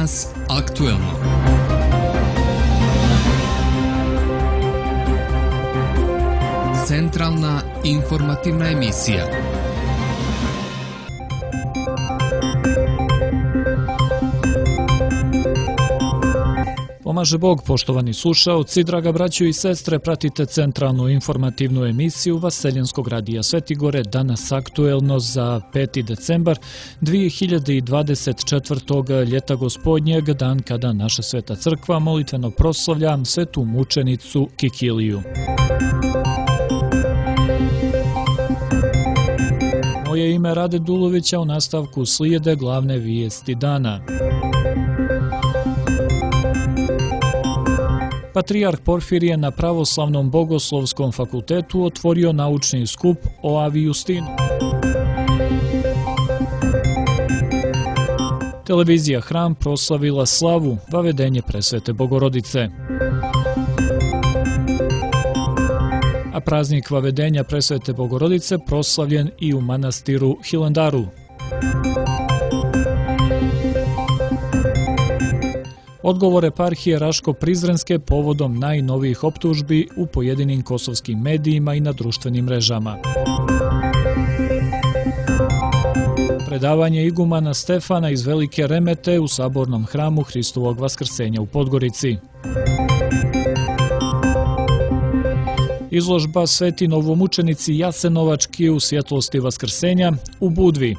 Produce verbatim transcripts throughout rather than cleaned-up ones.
Danas aktuelno. Centralna informativna emisija. Pomaže Bog, poštovani slušaoci, draga braćo i sestre, pratite centralnu informativnu emisiju Vaseljenskog radija Svetigore, danas aktuelno za peti decembar dve hiljade dvadeset četvrte. ljeta gospodnjeg, dan kada naša sveta crkva molitveno proslavlja svetu mučenicu Kikiliju. Moje ime Rade Dulovića, u nastavku slijede glavne vijesti dana. Patrijarh Porfirije na Pravoslavnom bogoslovskom fakultetu otvorio naučni skup o Avi Justinu. Televizija Hram proslavila slavu, vavedenje presvete Bogorodice. A praznik vavedenja presvete Bogorodice proslavljen i u manastiru Hilandaru. Odgovor eparhije Raško-Prizrenske povodom najnovijih optužbi u pojedinim kosovskim medijima i na društvenim mrežama. Predavanje igumana Stefana iz Velike Remete u sabornom hramu Hristovog Vaskrsenja u Podgorici. Izložba Sveti novomučenici Jasenovački u svjetlosti Vaskrsenja u Budvi.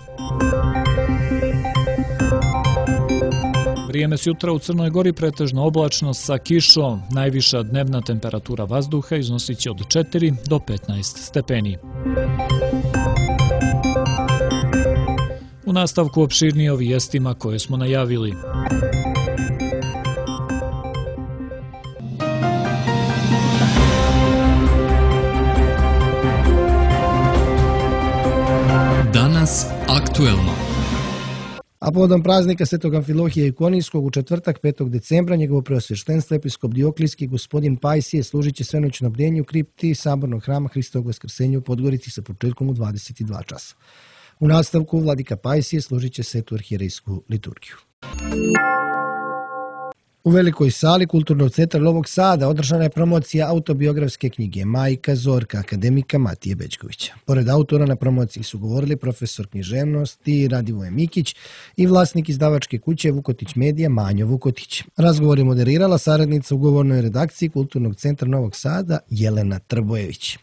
Vrijeme s jutra u Crnoj Gori pretežno oblačno sa kišom. Najviša dnevna temperatura vazduha iznosit će od četiri do petnaest stepeni. U nastavku opširnije o vijestima koje smo najavili. Danas aktuelno. A povodom praznika Svetog Amfilohija Ikonijskog u četvrtak petog decembra njegovo preosveštenstvo episkop Dioklijski gospodin Pajsije služit će svenoćno bdjenje u kripti sabornog hrama Hristovog Vaskrsenja u Podgorici sa početkom u dvadeset dva časa. U nastavku vladika Pajsije služit će svetu arhijerejsku liturgiju. U velikoj sali Kulturnog centra Novog Sada održana je promocija autobiografske knjige Majka Zorka akademika Matije Bećkovića. Pored autora na promociji su govorili profesor književnosti Radivoje Mikić i vlasnik izdavačke kuće Vukotić Medija Manjo Vukotić. Razgovor je moderirala saradnica u ugovornoj redakciji Kulturnog centra Novog Sada Jelena Trbojević.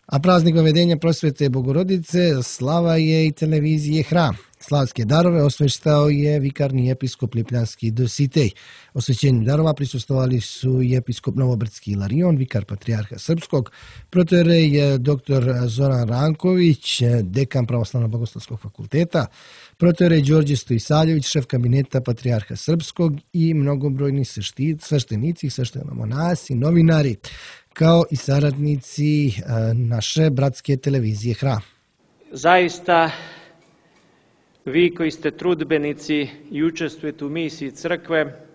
A praznik vavedenja prosvete Bogorodice slava je i televizije Hram. Slavske darove osveštao je vikarni episkop Lipljanski Dositej. Osvećenju darova prisustvovali su i episkop Novobrdski Ilarion, vikar patrijarha Srpskog, protoijerej doktor Zoran Ranković, dekan Pravoslavnog bogoslovskog fakulteta, protoijerej Đorđe Stojsaljević, šef kabineta patrijarha Srpskog i mnogobrojni sveštenici, sveštenomonasi, novinari, kao i saradnici naše bratske televizije Hram. Zaista, vi koji ste trudbenici i učestvujete u misiji crkve,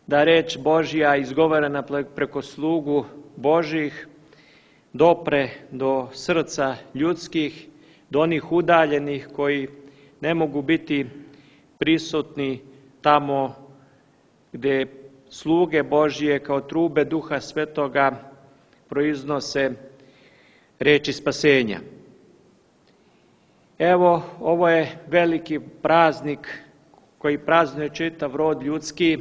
da reč Božja izgovorena preko slugu Božjih dopre do srca ljudskih, do onih udaljenih koji ne mogu biti prisutni tamo gdje sluge Božje kao trube Duha Svetoga proiznose reči spasenja. Evo, ovo je veliki praznik koji praznuje čitav rod ljudski.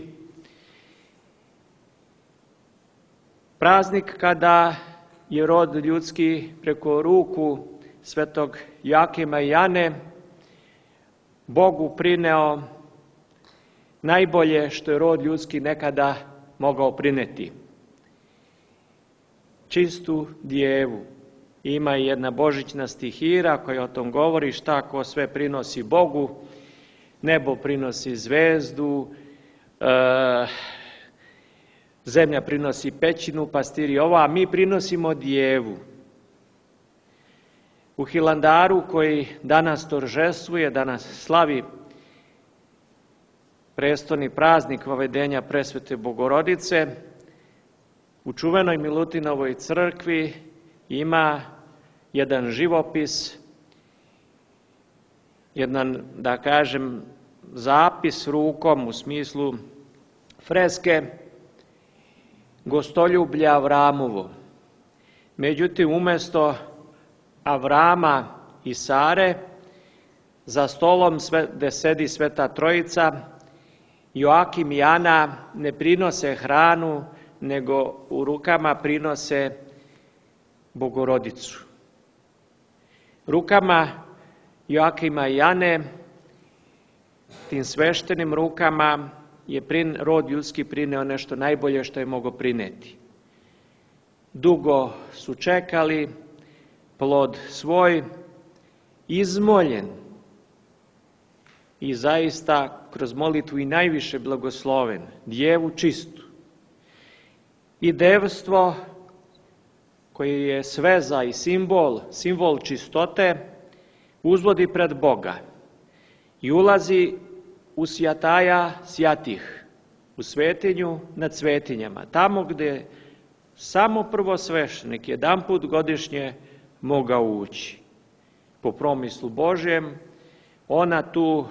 Praznik kada je rod ljudski preko ruku svetog Jakima i Jane Bogu prineo najbolje što je rod ljudski nekada mogao prineti. Čistu djevu. Ima i jedna božićna stihira koja o tom govori šta ko sve prinosi Bogu. Nebo prinosi zvezdu, e, zemlja prinosi pećinu, pastiri ovo, a mi prinosimo djevu. U Hilandaru koji danas toržestvuje, danas slavi prestolni praznik vavedenja presvete Bogorodice, u čuvenoj Milutinovoj crkvi ima jedan živopis, jedan, da kažem, zapis rukom u smislu freske gostoljublja Avramovo. Međutim, umjesto Avrama i Sare, za stolom gde sedi Sveta Trojica, Joakim i Ana ne prinose hranu, nego u rukama prinose Bogorodicu. Rukama Joakima i Ane, tim sveštenim rukama, je prin, rod ljudski prineo nešto najbolje što je mogao prineti. Dugo su čekali plod svoj, izmoljen i zaista kroz molitvu i najviše blagosloven, djevu čistu. I devstvo koje je sveza i simbol, simbol čistote, uzvodi pred Boga i ulazi u sjataja sjatih, u svetinju nad svetinjama, tamo gde samo prvosveštenik jedan put godišnje mogao ući. Po promislu Božjem, ona tu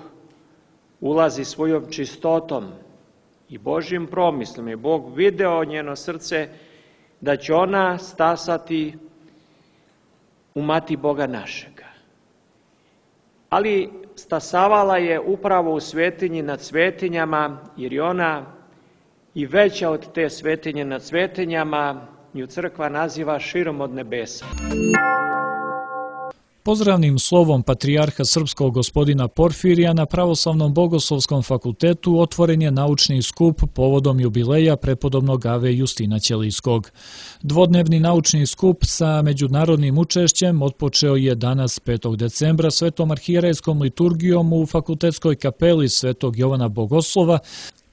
ulazi svojom čistotom i Božjim promislom. Je Bog video njeno srce da će ona stasati u mati Boga našega. Ali stasavala je upravo u svetinji nad svetinjama, jer je ona i veća od te svetinje nad svetinjama, nju crkva naziva širom od nebesa. Pozdravnim slovom patrijarha srpskog gospodina Porfirija na Pravoslavnom bogoslovskom fakultetu otvoren je naučni skup povodom jubileja prepodobnog Ave Justina Ćelijskog. Dvodnevni naučni skup sa međunarodnim učešćem otpočeo je danas petog decembra svetom arhijerejskom liturgijom u fakultetskoj kapeli Svetog Jovana Bogoslova.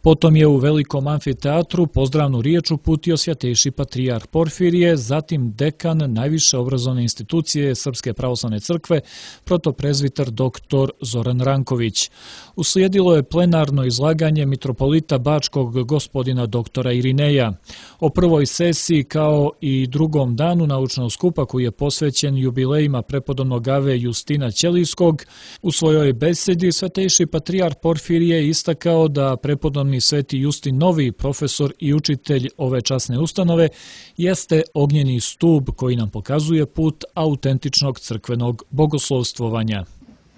Potom je u velikom amfiteatru pozdravnu riječ uputio svjatejši patrijarh Porfirije, zatim dekan najviše obrazovne institucije Srpske pravoslavne crkve, protoprezviter doktor Zoran Ranković. Uslijedilo je plenarno izlaganje mitropolita Bačkog gospodina doktora Irineja. O prvoj sesiji kao i drugom danu naučnog skupa koji je posvećen jubilejima prepodobnog Ave Justina Ćelijskog, u svojoj besedi svjatejši patrijarh Porfirije istakao da prepodobni Sveti Justin Novi, profesor i učitelj ove časne ustanove, jeste ognjeni stup koji nam pokazuje put autentičnog crkvenog bogoslovstvovanja.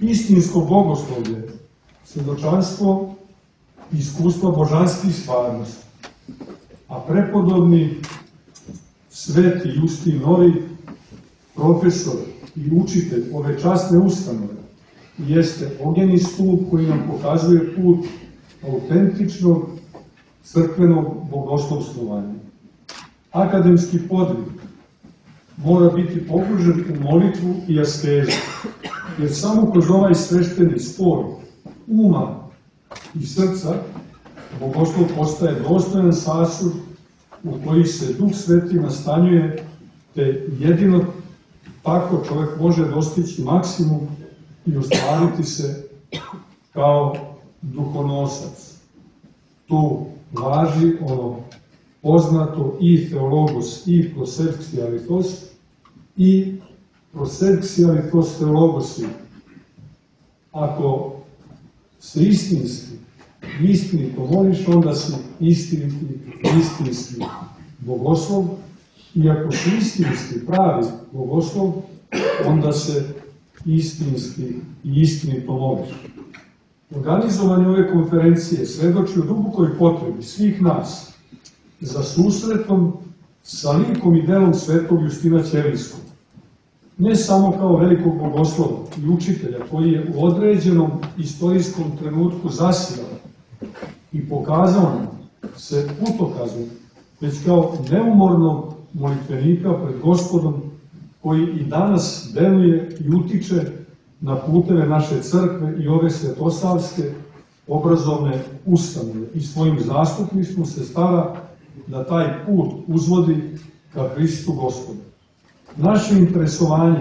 Istinsko bogoslovlje, svjedočanstvo i iskustvo božanskih stvarnosti, a prepodobni Sveti Justin Novi, profesor i učitelj ove časne ustanove, jeste ognjeni stup koji nam pokazuje put autentičnog crkvenog bogoslovstvovanja. Akademski podvig mora biti pogružen u molitvu i askezu, jer samo kroz ovaj svešteni spoj uma i srca bogoslov postaje dostojan sasud u koji se Duh Sveti nastanjuje, te jedino tako čovjek može dostići maksimum i ostvariti se kao duhonosac. Tu važi ono poznato i theologos i proserxialitos i proserxialitos theologosi. Ako se istinski, istinito moliš, onda si istiniti, istinski bogoslov, i ako si istinski pravi bogoslov, onda se istinski i istinito moliš. Organizovanje ove konferencije svedoči o dubokoj potrebi svih nas za susretom sa likom i delom svetog Justina Ćelijskog. Ne samo kao velikog bogoslova i učitelja koji je u određenom istorijskom trenutku zasijao i pokazao nam se putokazom, već kao neumornog molitvenika pred Gospodom koji i danas deluje i utiče na puteve naše crkve i ove svetosavske obrazovne ustanove i svojim zastupništvom se stara da taj put uzvodi ka Hristu Gospodu. Naše interesovanje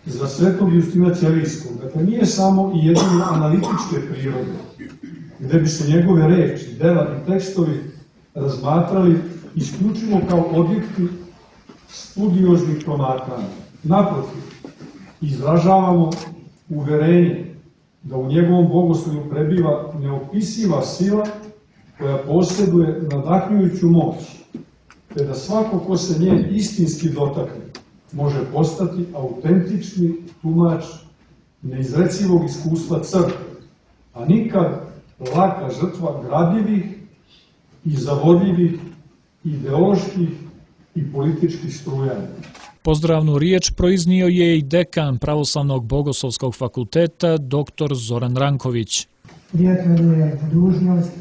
za svetog Justina Ćelijskog, dakle, nije samo i jedino analitičke prirode, gde bi se njegove reči, dela i tekstovi razmatrali isključivo kao objekti studioznih promatranja. Naprotiv, izražavamo uverenje da u njegovom bogoslovlju prebiva neopisiva sila koja posjeduje nadahnjujuću moć, te da svako ko se nje istinski dotakne može postati autentični tumač neizrecivog iskustva crkve, a nikad laka žrtva gradljivih i zavodljivih ideoloških i političkih strujanja. Pozdravnu riječ proiznio je i dekan Pravoslavnog bogoslovskog fakulteta dr. Zoran Ranković. Prijatno je dužnost,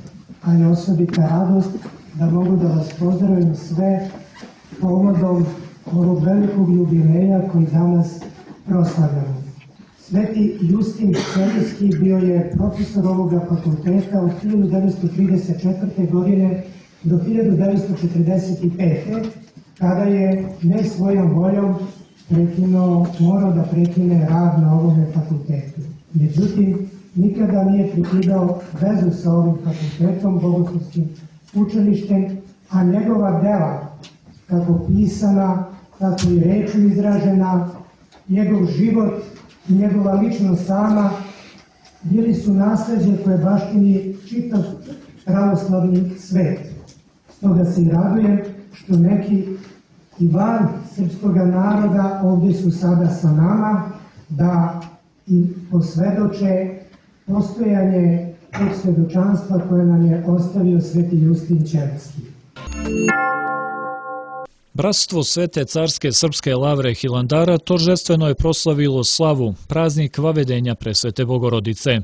a i osobita radost da mogu da vas pozdravim sve povodom ovog velikog jubileja koji danas proslavljamo. Sveti Justin Serijski bio je profesor ovoga fakulteta od hiljadu devetsto trideset četvrte. godine do hiljadu devetsto četrdeset pete. kada je ne svojom voljom prekinuo, morao da prekine rad na ovome fakultetu. Međutim, nikada nije prekidao vezu sa ovim fakultetom, bogoslovskim učilištem, a njegova dela, kako pisana, tako i rečju izražena, njegov život i njegova ličnost sama bili su nasleđe koje baštini čitav pravoslavni svet. Stoga se i radujem što neki i van srpskog naroda ovdje su sada sa nama da i posvedoče postojanje tog svedočanstva koje nam je ostavio sveti Justin Ćelski. Bratstvo Svete carske srpske lavre Hilandara toržestveno je proslavilo slavu, praznik vavedenja presvete Bogorodice.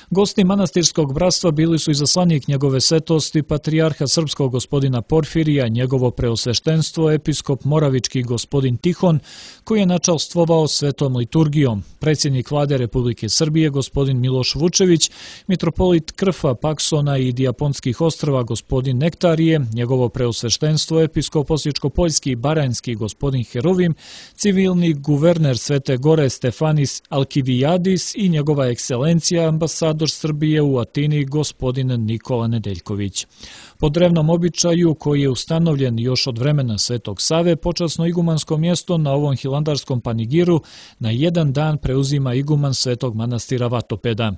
Gosti manastirskog bratstva bili su izaslanik njegove svetosti, patrijarha srpskog gospodina Porfirija, njegovo preosveštenstvo, episkop moravički gospodin Tihon, koji je načalstvovao svetom liturgijom, predsjednik vlade Republike Srbije gospodin Miloš Vučević, mitropolit Krfa, Paksona i Dijaponskih ostrva gospodin Nektarije, njegovo preosveštenstvo, episkop osječko-poljski i baranjski gospodin Heruvim, civilni guverner Svete Gore Stefanis Alkivijadis i njegova ekscelencija ambasador Srbije u Atini gospodin Nikola Nedeljković. Po drevnom običaju koji je ustanovljen još od vremena Svetog Save, počasno igumansko mjesto na ovom hilandarskom panigiru na jedan dan preuzima iguman Svetog manastira Vatopeda.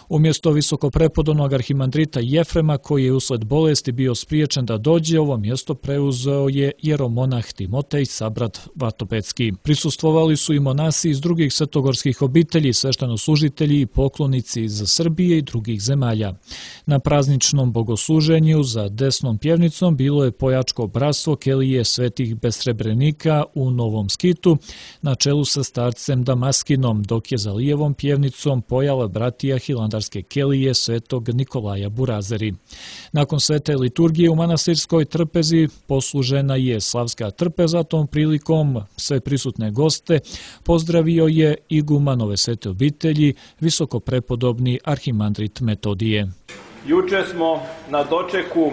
Umjesto visokoprepodobnog arhimandrita Jefrema, koji je usled bolesti bio spriječen da dođe, ovo mjesto preuzeo je jeromonah Timotej, sabrat Vatopedski. Prisustvovali su i monasi iz drugih svetogorskih obitelji, sveštenoslужitelji i poklonici iz Srbije i drugih zemalja. Na prazničnom bogosluženju za desnom pjevnicom bilo je pojačko bratstvo Kelije svetih besrebrenika u Novom Skitu na čelu sa starcem Damaskinom, dok je za lijevom pjevnicom pojala bratija hilandarske Kelije svetog Nikolaja Burazeri. Nakon svete liturgije u manastirskoj trpezi poslužena je slavska trpeza, tom prilikom sve prisutne goste pozdravio je iguman ove svete obitelji, visokoprepodobni arhimandrit Metodije. Juče smo na dočeku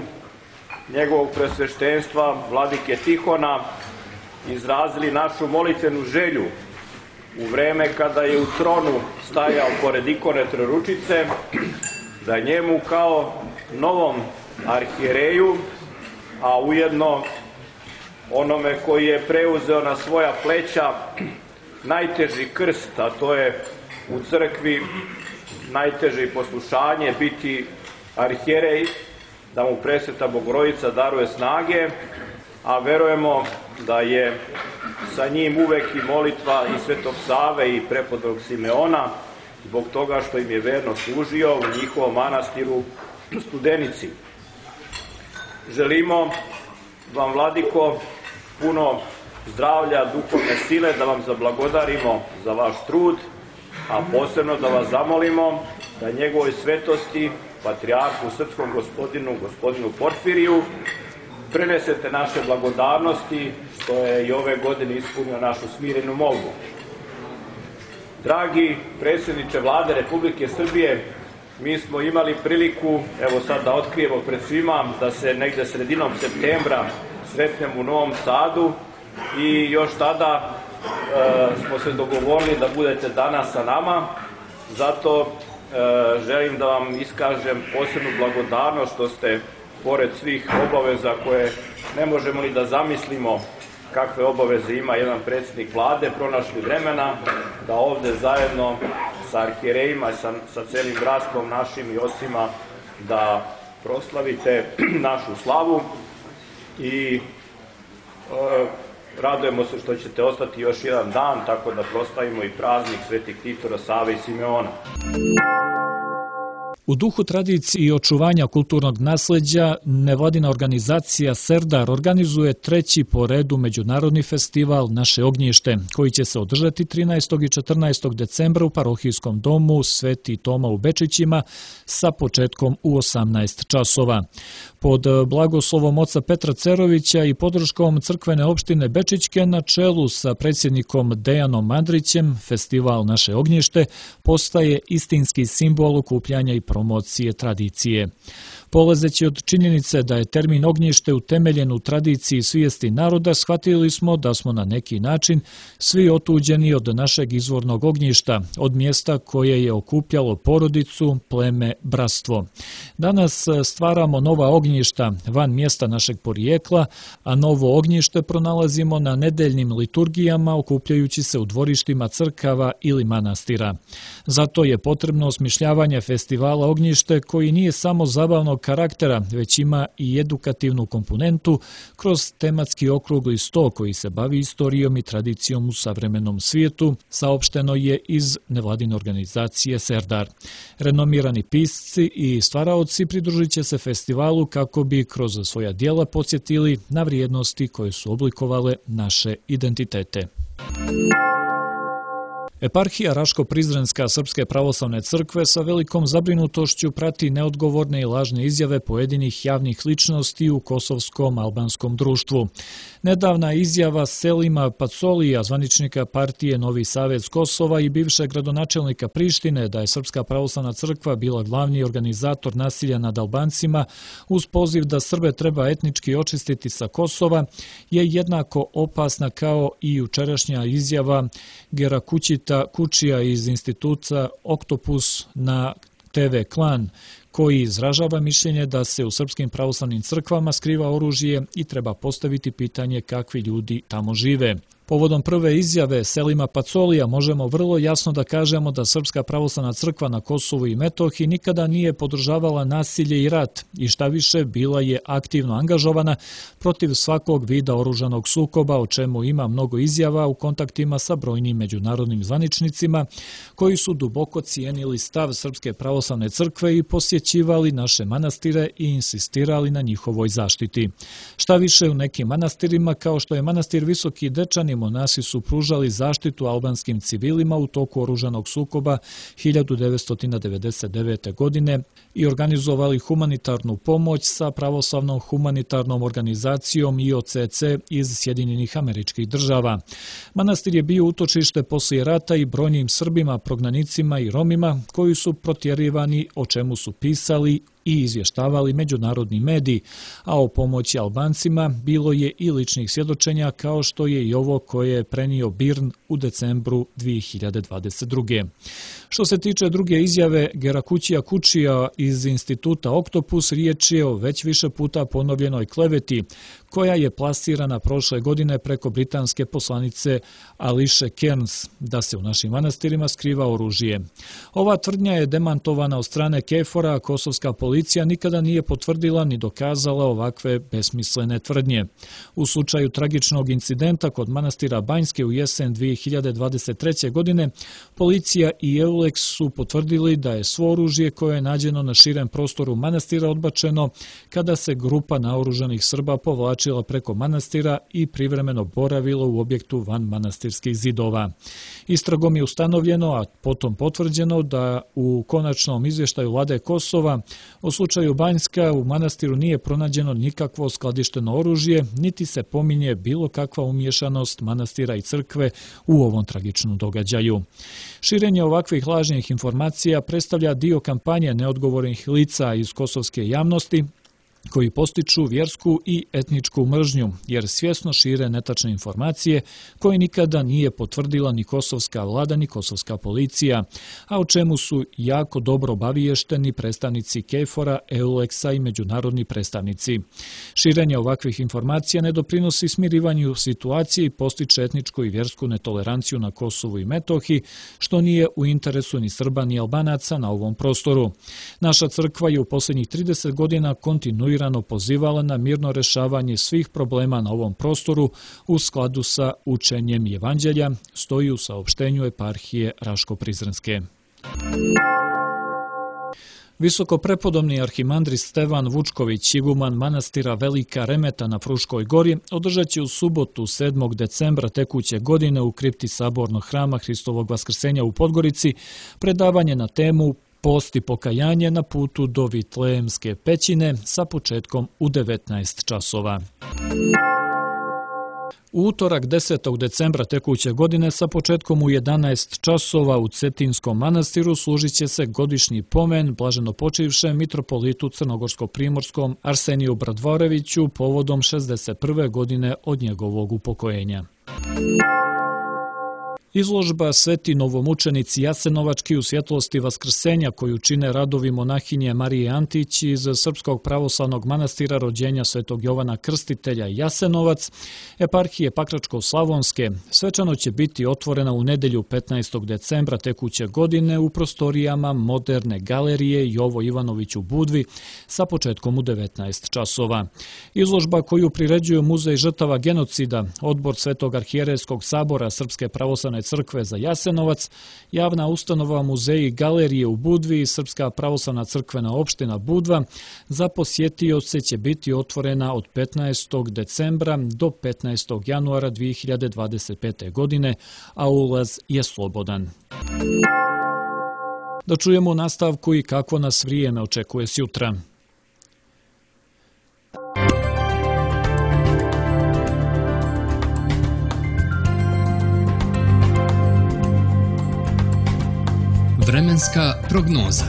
njegovog presveštenstva vladike Tihona izrazili našu molitvenu želju u vreme kada je u tronu stajao pored ikone Trojeručice, da njemu kao novom arhijereju, a ujedno onome koji je preuzeo na svoja pleća najteži krst, a to je u crkvi najteže poslušanje, biti arhijerej, da mu presveta Bogorodica daruje snage, a verujemo da je sa njim uvek i molitva i Svetog Save i prepodobnog Simeona, zbog toga što im je verno služio u njihovom manastiru Studenici. Želimo vam, vladiko, puno zdravlja, duhovne sile, da vam zablagodarimo za vaš trud, a posebno da vas zamolimo da njegovoj svetosti, patrijarhu srpskom gospodinu, gospodinu Porfiriju, prenesete naše blagodarnosti, što je i ove godine ispunio našu smirenu molbu. Dragi predsjedniče vlade Republike Srbije, mi smo imali priliku, evo sad da otkrijemo pred svima, da se negde sredinom septembra sretnemo u Novom Sadu i još tada e, smo se dogovorili da budete danas sa nama. Zato e, želim da vam iskažem posebnu blagodarnost što ste, pored svih obaveza koje ne možemo ni da zamislimo kakve obaveze ima jedan predsjednik vlade, pronašli vremena da ovde zajedno sa arhijerejima, sa, sa celim bratstvom našim i ocima da proslavite našu slavu i e, radujemo se što ćete ostati još jedan dan, tako da proslavimo i praznik Svetih Titora, Save i Simeona. U duhu tradicije i očuvanja kulturnog nasleđa, nevladina organizacija Serdar organizuje treći po redu međunarodni festival Naše ognjište, koji će se održati trinaestog i četrnaestog decembra u parohijskom domu Sveti Toma u Bečićima sa početkom u osamnaest časova. Pod blagoslovom oca Petra Cerovića i podrškom crkvene opštine Bečićke na čelu sa predsjednikom Dejanom Andrićem, festival Naše ognjište postaje istinski simbol okupljanja i promocije tradicije. Polazeći od činjenice da je termin ognjište utemeljen u tradiciji i svijesti naroda, shvatili smo da smo na neki način svi otuđeni od našeg izvornog ognjišta, od mjesta koje je okupljalo porodicu, pleme, bratstvo. Danas stvaramo nova ognjišta van mjesta našeg porijekla, a novo ognjište pronalazimo na nedeljnim liturgijama okupljajući se u dvorištima crkava ili manastira. Zato je potrebno osmišljavanje festivala ognjište koji nije samo zabavnog karaktera, već ima i edukativnu komponentu kroz tematski okrugli sto koji se bavi istorijom i tradicijom u savremenom svijetu, saopšteno je iz nevladine organizacije Serdar. Renomirani pisci i stvaraoci pridružit će se festivalu kako bi kroz svoja djela podsjetili na vrijednosti koje su oblikovale naše identitete. Eparhija Raško-Prizrenska Srpske pravoslavne crkve sa velikom zabrinutošću prati neodgovorne i lažne izjave pojedinih javnih ličnosti u kosovskom albanskom društvu. Nedavna izjava Selima Pacolija, zvaničnika partije Novi savez Kosova i bivšeg gradonačelnika Prištine, da je Srpska pravoslavna crkva bila glavni organizator nasilja nad Albancima uz poziv da Srbe treba etnički očistiti sa Kosova, je jednako opasna kao i jučerašnja izjava Gerakućita Kučija iz instituta Oktopus na te ve Klan, koji izražava mišljenje da se u srpskim pravoslavnim crkvama skriva oružje i treba postaviti pitanje kakvi ljudi tamo žive. Povodom prve izjave Selima Pacolija možemo vrlo jasno da kažemo da Srpska pravoslavna crkva na Kosovu i Metohiji nikada nije podržavala nasilje i rat i šta više bila je aktivno angažovana protiv svakog vida oružanog sukoba, o čemu ima mnogo izjava u kontaktima sa brojnim međunarodnim zvaničnicima koji su duboko cijenili stav Srpske pravoslavne crkve i posjećivali naše manastire i insistirali na njihovoj zaštiti. Šta više, u nekim manastirima, kao što je manastir Visoki Dečani, monasi su pružali zaštitu albanskim civilima u toku oružanog sukoba hiljadu devetsto devedeset devete. godine i organizovali humanitarnu pomoć sa pravoslavnom humanitarnom organizacijom I O C C iz Sjedinjenih Američkih Država. Manastir je bio utočište poslije rata i brojnim Srbima, prognanicima i Romima koji su protjerivani, o čemu su pisali i izvještavali međunarodni mediji, a o pomoći Albancima bilo je i ličnih svjedočenja kao što je i ovo koje je prenio Birn u decembru dvije hiljade dvadeset druge. Što se tiče druge izjave Gerakućija Kučija iz instituta Oktopus, riječ je o već više puta ponovljenoj kleveti koja je plasirana prošle godine preko britanske poslanice Ališe Kearns da se u našim manastirima skriva oružje. Ova tvrdnja je demantovana od strane Kefora, a kosovska policija nikada nije potvrdila ni dokazala ovakve besmislene tvrdnje. U slučaju tragičnog incidenta kod manastira Banjske u jesen dvije hiljade dvadeset treće. godine, policija i Euleks su potvrdili da je svo oružje koje je nađeno na širem prostoru manastira odbačeno kada se grupa naoružanih Srba povlačila preko manastira i privremeno boravilo u objektu van manastirskih zidova. Istragom je ustanovljeno, a potom potvrđeno da u konačnom izvještaju vlade Kosova o slučaju Banjska u manastiru nije pronađeno nikakvo skladišteno oružje, niti se pominje bilo kakva umješanost manastira i crkve u ovom tragičnom događaju. Širenje ovakvih lažnih informacija predstavlja dio kampanje neodgovornih lica iz kosovske javnosti koji postiču vjersku i etničku mržnju, jer svjesno šire netačne informacije koje nikada nije potvrdila ni kosovska vlada ni kosovska policija, a o čemu su jako dobro obaviješteni predstavnici KFOR-a, EULEX-a i međunarodni predstavnici. Širenje ovakvih informacija ne doprinosi smirivanju situacije i postiče etničku i vjersku netoleranciju na Kosovu i Metohiji, što nije u interesu ni Srba ni Albanaca na ovom prostoru. Naša crkva je u posljednjih trideset godina kontinuirano pozivala na mirno rešavanje svih problema na ovom prostoru u skladu sa učenjem Evanđelja, stoji u saopštenju eparhije Raško-Prizrenske. Visokoprepodobni arhimandrit Stevan Vučković, iguman manastira Velika Remeta na Fruškoj gori, održat će u subotu sedmog decembra tekuće godine u kripti Sabornog hrama Hristovog Vaskrsenja u Podgorici predavanje na temu Post i pokajanje na putu do Vitlejemske pećine sa početkom u devetnaest časova. U utorak desetog decembra tekuće godine sa početkom u jedanaest časova u Cetinskom manastiru služit će se godišnji pomen blaženopočivšem mitropolitu Crnogorsko-primorskom Arseniju Bradvoreviću povodom šezdeset prve godine od njegovog upokojenja. Izložba Sveti novomučenici Jasenovački u svjetlosti Vaskrsenja koju čine radovi monahinje Marije Antić iz Srpskog pravoslavnog manastira rođenja Svetog Jovana Krstitelja Jasenovac, eparhije Pakračko-Slavonske, svečano će biti otvorena u nedelju petnaestog decembra tekuće godine u prostorijama moderne galerije Jovo Ivanović u Budvi sa početkom u devetnaest časova. Izložba koju priređuju Muzej žrtava genocida, Odbor Svetog arhijerejskog sabora Srpske pravoslavne crkve za Jasenovac, javna ustanova Muzeji i galerije u Budvi i Srpska pravoslavna crkvena opština Budva za posjetioce će biti otvorena od petnaestog decembra do petnaestog januara dvije hiljade dvadeset pete. godine, a ulaz je slobodan. Da čujemo u nastavku i kako nas vrijeme očekuje sjutra. Vremenska prognoza.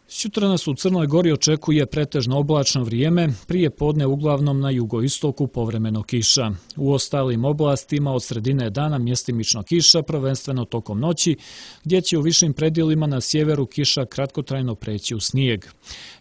Sutra nas u Crnoj Gori očekuje pretežno oblačno vrijeme, prije podne uglavnom na jugoistoku povremeno kiša. U ostalim oblastima od sredine dana mjestimično kiša, prvenstveno tokom noći, gdje će u višim predjelima na sjeveru kiša kratkotrajno preći u snijeg.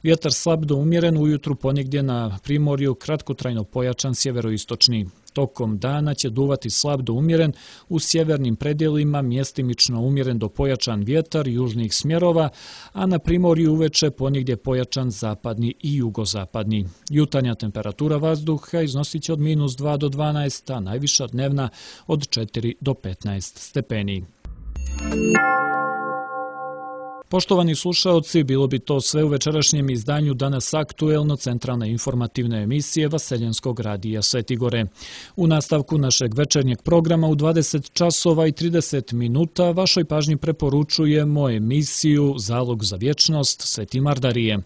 Vjetar slab do umjeren, ujutru ponegdje na primorju kratkotrajno pojačan sjeveroistočni. Tokom dana će duvati slab do umjeren, u sjevernim predjelima mjestimično umjeren do pojačan vjetar južnih smjerova, a na primorju uveče ponegdje pojačan zapadni i jugozapadni. Jutarnja temperatura vazduha iznosit će od minus dva do dvanaest, a najviša dnevna od četiri do petnaest stepeni. Poštovani slušaoci, bilo bi to sve u večerašnjem izdanju Danas aktuelno centralne informativne emisije Vaseljenskog radija Svetigore. U nastavku našeg večernjeg programa u dvadeset časova i trideset minuta vašoj pažnji preporučujemo emisiju Zalog za vječnost Sveti Mardarije.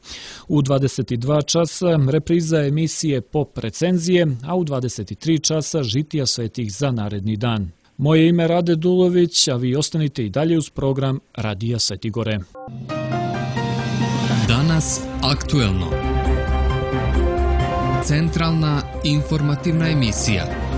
U dvadeset dva časa repriza emisije Pop recenzije, a u dvadeset tri časa žitija svetih za naredni dan. Moje ime Rade Dulović, a vi ostanite i dalje uz program Radija Svetigore. Danas aktuelno. Centralna informativna emisija.